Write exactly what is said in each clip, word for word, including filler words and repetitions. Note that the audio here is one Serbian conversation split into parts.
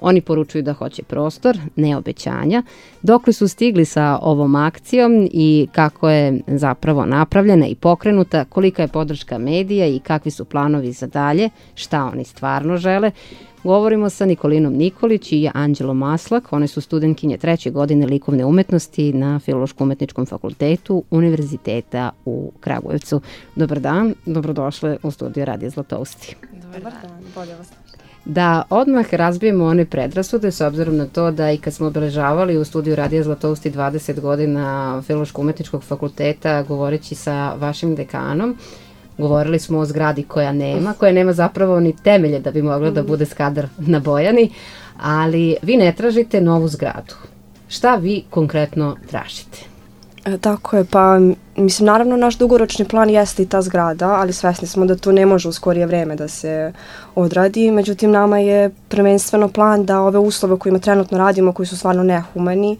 Oni poručuju da hoće prostor, ne obećanja. Dokle su stigli sa ovom akcijom i kako je zapravo napravljena i pokrenuta, kolika je podrška medija i kakvi su planovi za dalje, šta oni stvarno žele. Govorimo sa Nikolinom Nikolić i Anđelom Maslak. One su studentkinje treće godine likovne umetnosti na Filološko-umetničkom fakultetu Univerziteta u Kragujevcu. Dobar dan, dobrodošle u studiju Radija Zlatousti. Dobar dan, bolje vas. Da odmah razbijemo one predrasude s obzirom na to da i kad smo obeležavali u studiju Radija Zlatousti dvadeset godina Filološko-umetničkog fakulteta govoreći sa vašim dekanom, govorili smo o zgradi koja nema, koja nema zapravo ni temelje da bi mogla da bude Skadar na Bojani, ali vi ne tražite novu zgradu. Šta vi konkretno tražite? E, tako je, pa mislim, naravno naš dugoročni plan jeste i ta zgrada, ali svesni smo da to ne može u skorije vreme da se odradi. Međutim, nama je prvenstveno plan da ove uslove kojima trenutno radimo, koji su stvarno nehumani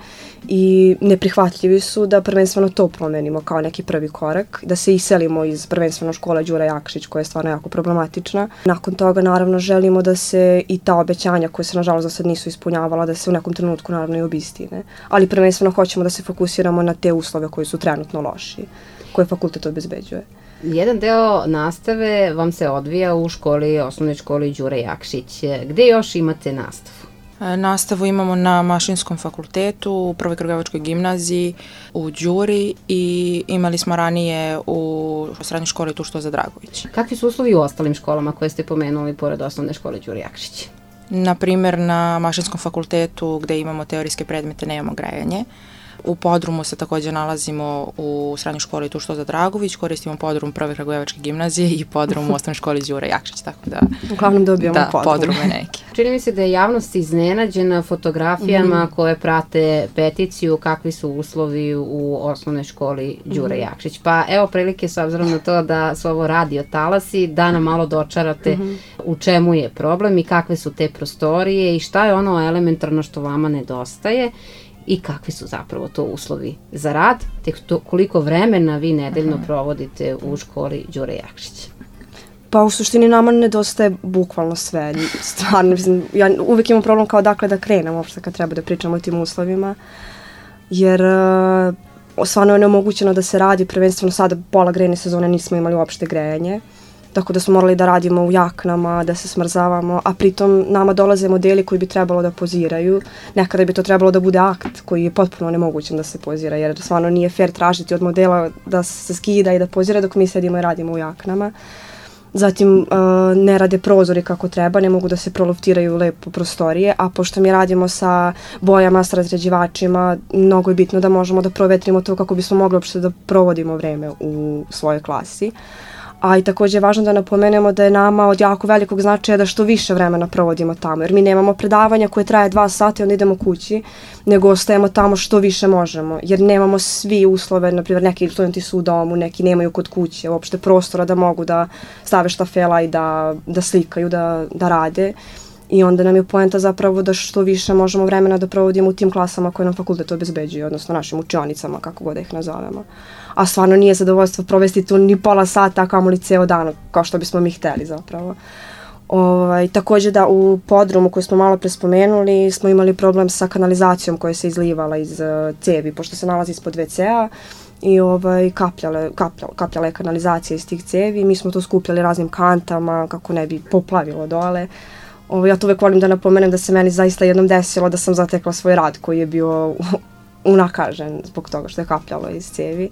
i neprihvatljivi su, da prvenstveno to promenimo kao neki prvi korak, da se iselimo iz prvenstveno škole Đura Jakšić, koja je stvarno jako problematična. Nakon toga, naravno, želimo da se i ta obećanja koje se, nažalost, do sad nisu ispunjavala, da se u nekom trenutku, naravno, i obistine. Ali prvenstveno hoćemo da se fokusiramo na te uslove koji su trenutno loši, koje fakultet obezbeđuje. Jedan deo nastave vam se odvija u školi, osnovnoj školi Đure Jakšić. Gde još imate nastavu? Nastavu imamo na Mašinskom fakultetu, u Prvoj Kragujevačkoj gimnaziji, u Đuri i imali smo ranije u srednjoj školi Tušto za Dragović. Kakvi su uslovi u ostalim školama koje ste pomenuli pored osnovne škole Đure Jakšić? Na primer, na Mašinskom fakultetu gde imamo teorijske predmete nemamo grejanje. U podrumu se takođe nalazimo u srednjoj školi Tušto za Dragović, koristimo podrum Prve Kragujevačke gimnazije i podrum u osnovnoj školi Đure Jakšić, tako da... Uglavnom dobijamo da, podrum. podrume neki. Čini mi se da je javnost iznenađena fotografijama mm. koje prate peticiju, kakvi su uslovi u osnovnoj školi Đure mm. Jakšić. Pa evo prilike s obzirom na to da su ovo radio talasi, da nam malo dočarate mm. u čemu je problem i kakve su te prostorije i šta je ono elementarno što vama nedostaje i kakvi su zapravo to uslovi za rad, te to, koliko vremena vi nedeljno Aha. provodite u školi Đure Jakšić. Pa u suštini nama nedostaje bukvalno sve. Stvarno, mislim, ja uvijek imam problem kao dakle da krenem uopšte kad treba da pričamo o tim uslovima, jer uh, stvarno je neomogućeno da se radi, prvenstveno sada pola grejne sezone nismo imali uopšte grejanje, tako da smo morali da radimo u jaknama, da se smrzavamo, a pritom nama dolaze modeli koji bi trebalo da poziraju. Nekada bi to trebalo da bude akt koji je potpuno nemogućen da se pozira, jer stvarno nije fair tražiti od modela da se skida i da pozira dok mi sedimo i radimo u jaknama. Zatim uh, ne rade prozori kako treba, ne mogu da se proluftiraju lepo prostorije, a pošto mi radimo sa bojama, sa razređivačima, mnogo je bitno da možemo da provetrimo to kako bismo mogli uopšte da provodimo vreme u svojoj klasi. A i takođe je važno da napomenemo da je nama od jako velikog značaja da što više vremena provodimo tamo, jer mi nemamo predavanja koje traje dva sata i onda idemo kući, nego ostajemo tamo što više možemo, jer nemamo svi uslove, na primjer neki studenti su u domu, neki nemaju kod kuće, uopšte prostora da mogu da stave štafela i da, da slikaju, da, da rade. I onda nam je poenta zapravo da što više možemo vremena da provodimo u tim klasama koje nam fakultet obezbeđuje, odnosno našim učionicama, kako god da ih nazovemo. A stvarno nije zadovoljstvo provesti tu ni pola sata, a kamoli ceo dan, kao što bismo mi hteli zapravo. Ovaj, takođe da u podrumu koji smo malo pre spomenuli smo imali problem sa kanalizacijom koja se izlivala iz uh, cevi, pošto se nalazi ispod ve cea i ovaj, kapljale, kapljale, kapljale je kanalizacija iz tih cevi. Mi smo to skupljali raznim kantama kako ne bi poplavilo dole. Ovo, ja to uvek volim da napomenem da se meni zaista jednom desilo da sam zatekla svoj rad koji je bio unakažen zbog toga što je kapljalo iz cevi.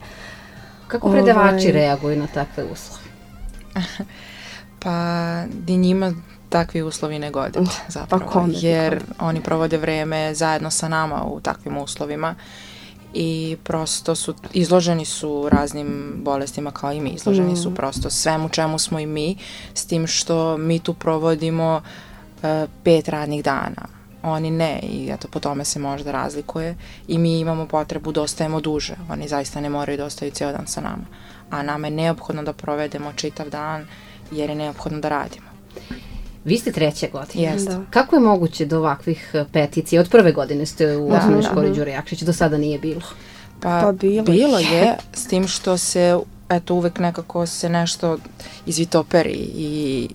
Kako predavači Ove... reaguju na takve uslove? Pa ni njima takvi uslovi ne gode zapravo, pa kome, jer kome. Oni provode vreme zajedno sa nama u takvim uslovima i prosto su, izloženi su raznim bolestima kao i mi, izloženi mm. su prosto svemu čemu smo i mi, s tim što mi tu provodimo pet radnih dana. Oni ne i eto po tome se možda razlikuje i mi imamo potrebu da ostajemo duže. Oni zaista ne moraju da ostaju cijel dan sa nama. A nama je neophodno da provedemo čitav dan jer je neophodno da radimo. Vi ste treće godine. Jeste. Da. Kako je moguće do ovakvih peticija? Od prve godine ste u da, osnovnoj školi da. Đure Jakšić, do sada nije bilo? Pa, pa bilo, bilo je, s tim što se, eto, uvek nekako se nešto izvitoperi i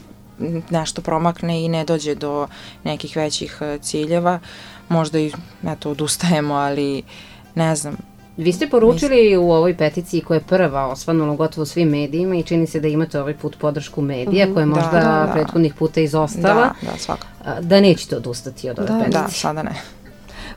nešto promakne i ne dođe do nekih većih ciljeva, možda i eto, odustajemo, ali ne znam. Vi ste poručili u ovoj peticiji koja je prva osvanula gotovo svim medijima i čini se da imate ovaj put podršku medija, koja je možda da, da, da. prethodnih puta izostala, da, da, svakako. Da nećete odustati od ove da, peticije. Da, sada ne.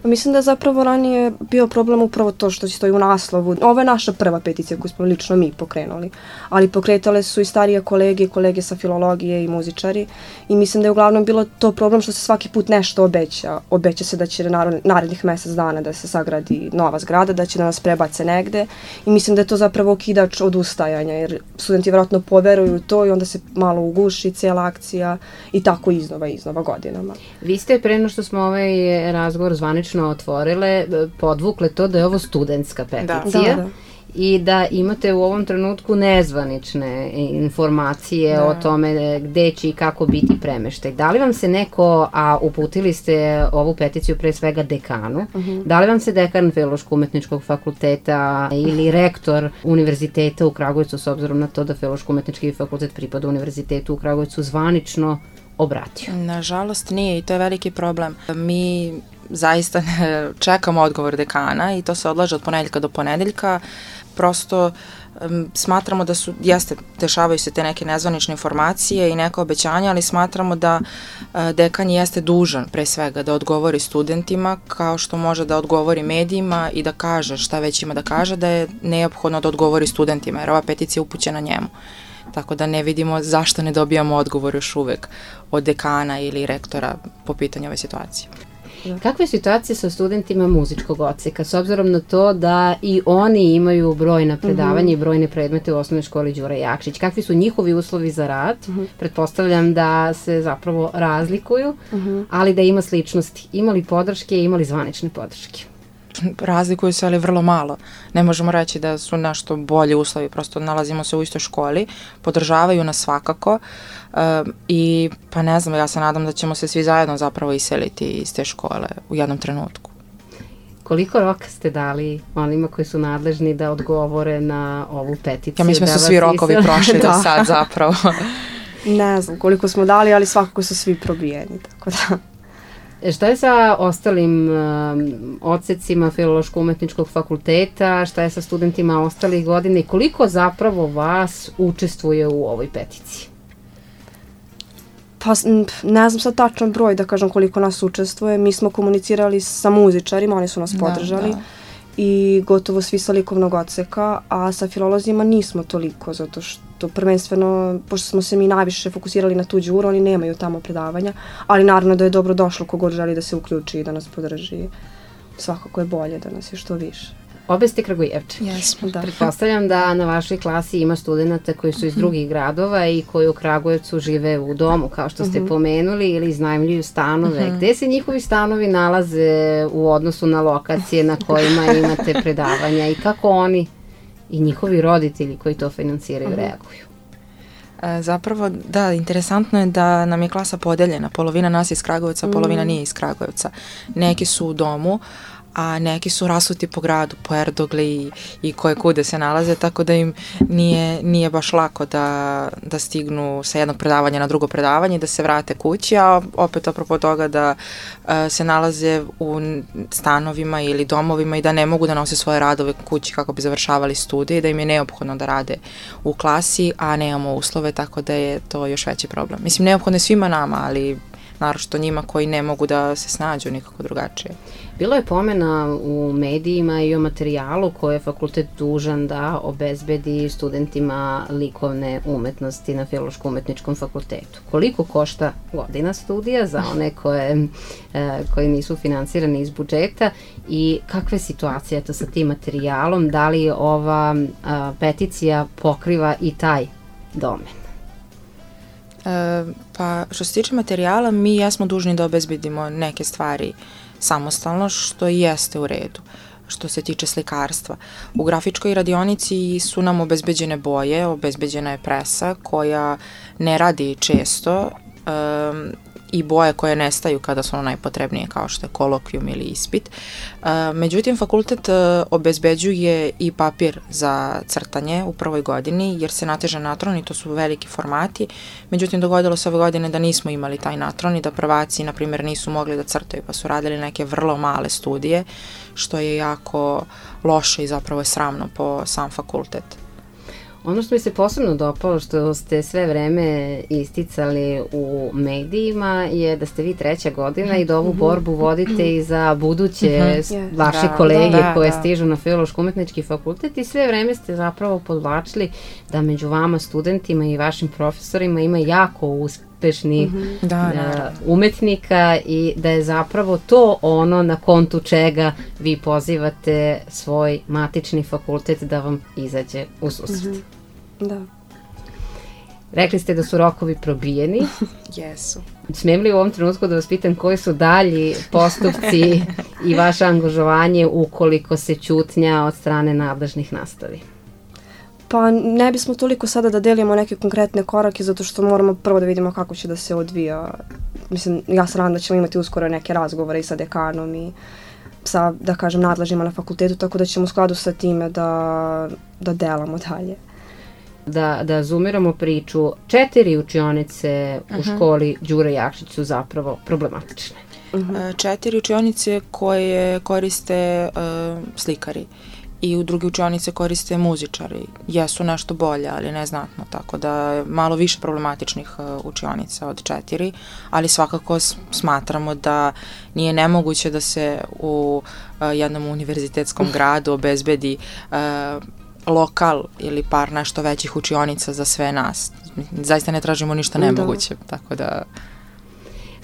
Mislim da je zapravo ranije bio problem upravo to što stoji u naslovu. Ovo je naša prva peticija koju smo lično mi pokrenuli, ali pokretale su i starije kolege, kolege sa filologije i muzičari i mislim da je uglavnom bilo to problem što se svaki put nešto obeća. Obeća se da će narednih mesec dana da se sagradi nova zgrada, da će da nas prebace negde i mislim da je to zapravo okidač odustajanja jer studenti vjerojatno poveruju to i onda se malo uguši cijela akcija i tako iznova iznova godinama. Vi ste pre nego što smo ovaj razgovor zvanično otvorile, podvukle to da je ovo studentska peticija da, da. I da imate u ovom trenutku nezvanične informacije da. O tome gde će i kako biti premeštaj. Da li vam se neko, a uputili ste ovu peticiju pre svega dekanu, uh-huh. da li vam se dekan Filološko-umetničkog fakulteta ili rektor univerziteta u Kragujevcu, s obzirom na to da Filološko-umetnički fakultet pripada univerzitetu u Kragujevcu, zvanično obratio? Nažalost nije i to je veliki problem. Mi zaista čekamo odgovor dekana i to se odlaže od ponedeljka do ponedeljka. Prosto um, smatramo da su, jeste, dešavaju se te neke nezvanične informacije i neka obećanja, ali smatramo da uh, dekan jeste dužan pre svega da odgovori studentima kao što može da odgovori medijima i da kaže šta već ima da kaže, da je neophodno da odgovori studentima jer ova peticija je upućena njemu. Tako da ne vidimo zašto ne dobijamo odgovor još uvek od dekana ili rektora po pitanju ove situacije. Kakva je situacija sa studentima muzičkog odseka, s obzirom na to da i oni imaju brojna predavanja uh-huh. i brojne predmete u osnovnoj školi Đura Jakšić? Kakvi su njihovi uslovi za rad? Uh-huh. Pretpostavljam da se zapravo razlikuju, uh-huh. ali da ima sličnosti. Ima li podrške, ima li zvanične podrške? Razlikuju se, ali vrlo malo. Ne možemo reći da su nešto bolji uslovi, prosto nalazimo se u istoj školi, podržavaju nas svakako uh, i pa ne znam, ja se nadam da ćemo se svi zajedno zapravo iseliti iz te škole u jednom trenutku. Koliko roka ste dali onima koji su nadležni da odgovore na ovu peticiju? Ja mislim da su svi rokovi prošli do sad zapravo. Ne znam koliko smo dali, ali svakako su svi probijeni, tako da... Šta je sa ostalim um, odsecima Filološko-umetničkog fakulteta, šta je sa studentima ostalih godina i koliko zapravo vas učestvuje u ovoj peticiji? Pa ne znam sad tačan broj da kažem koliko nas učestvuje. Mi smo komunicirali sa muzičarima, oni su nas podržali. Da, da. I gotovo svi sa likovnog odseka, a sa filolozima nismo toliko, zato što prvenstveno, pošto smo se mi najviše fokusirali na tu Đuru, oni nemaju tamo predavanja, ali naravno da je dobro došlo kogod želi da se uključi i da nas podrži. Svakako je bolje da nas je što više. Obe ste Kragujevče. Jesmo, da. Pretpostavljam da na vašoj klasi ima studenta koji su iz drugih gradova i koji u Kragujevcu žive u domu, kao što ste uh-huh. pomenuli, ili iznajmljuju stanove. Uh-huh. Gde se njihovi stanovi nalaze u odnosu na lokacije na kojima imate predavanja i kako oni i njihovi roditelji koji to finansiraju uh-huh. reaguju? E, zapravo, da, interesantno je da nam je klasa podeljena. Polovina nas je iz Kragujevca, uh-huh. polovina nije iz Kragujevca. Neki su u domu, a neki su rasuti po gradu, po Erdogli i, i koje kude se nalaze, tako da im nije, nije baš lako da, da stignu sa jednog predavanja na drugo predavanje i da se vrate kući, a opet apropo toga da uh, se nalaze u stanovima ili domovima i da ne mogu da nose svoje radove kući kako bi završavali studije, da im je neophodno da rade u klasi, a nemamo uslove, tako da je to još veći problem. Mislim, neophodno je svima nama, ali naročito njima koji ne mogu da se snađu nikako drugačije. Bilo je pomena u medijima i o materijalu koje je fakultet dužan da obezbedi studentima likovne umetnosti na Filološko-umetničkom fakultetu. Koliko košta godina studija za one koje, e, koji nisu finansirani iz budžeta i kakva je situacija to sa tim materijalom? Da li ova a, peticija pokriva i taj domen? E, pa što se tiče materijala, mi jesmo dužni da obezbedimo neke stvari samostalno, što i jeste u redu. Što se tiče slikarstva. U grafičkoj radionici su nam obezbeđene boje, obezbeđena je presa koja ne radi često, um, i boje koje nestaju kada su ono najpotrebnije, kao što je kolokvijum ili ispit. Uh, međutim, fakultet uh, obezbeđuje i papir za crtanje u prvoj godini, jer se nateže natron i to su veliki formati. Međutim, dogodilo se ove godine da nismo imali taj natron i da prvaci, na primjer, nisu mogli da crtaju, pa su radili neke vrlo male studije, što je jako loše i zapravo je sramno po sam fakultet. Ono što mi se posebno dopalo, što ste sve vreme isticali u medijima, je da ste vi treća godina i da ovu borbu vodite i za buduće Mm-hmm. vaše Da, kolege da, koje da. stižu na Filološko-umetnički fakultet i sve vreme ste zapravo podvlačili da među vama studentima i vašim profesorima ima jako uspešnih Da, uh, naravno. umetnika i da je zapravo to ono na kontu čega vi pozivate svoj matični fakultet da vam izađe u susret. Da. Rekli ste da su rokovi probijeni. Jesu. Smijem li u ovom trenutku da vas pitam koji su dalji postupci i vaše angažovanje ukoliko se ćutnja od strane nadležnih nastavi? Pa ne bismo toliko sada da delimo neke konkretne korake, zato što moramo prvo da vidimo kako će da se odvija. Mislim, ja se nadam da ćemo imati uskoro neke razgovore i sa dekanom i sa, da kažem, nadležnima na fakultetu, tako da ćemo u skladu sa time da, da delamo dalje. Da, da zoomiramo priču, četiri učionice u školi Đure Jakšić su zapravo problematične. E, Četiri učionice koje koriste e, slikari i u druge učionice koriste muzičari. Jesu nešto bolje, ali neznatno, tako da je malo više problematičnih e, učionica od četiri, ali svakako s- smatramo da nije nemoguće da se u e, jednom univerzitetskom gradu obezbedi e, lokal ili par nešto većih učionica za sve nas. Zaista ne tražimo ništa nemoguće, tako da...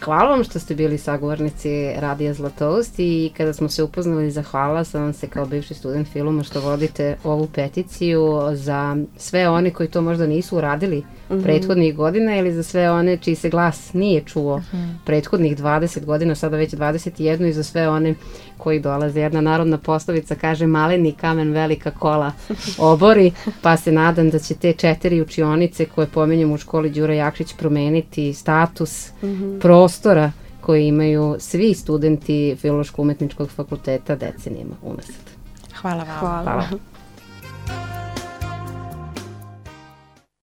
Hvala vam što ste bili sagovornici Radija Zlatoust i kada smo se upoznali, zahvala sam vam se kao bivši student filma što vodite ovu peticiju za sve one koji to možda nisu uradili mm-hmm. prethodnih godina ili za sve one čiji se glas nije čuo mm-hmm. prethodnih dvadeset godina, sada već dvadeset jedan i za sve one koji dolaze. Jedna narodna poslovica kaže maleni kamen velika kola obori, pa se nadam da će te četiri učionice koje pomenjam u školi Đura Jakšić promeniti status mm-hmm. prostora koji imaju svi studenti Filološko-umetničkog fakulteta decenijama unazad. Hvala vam. Hvala. Hvala.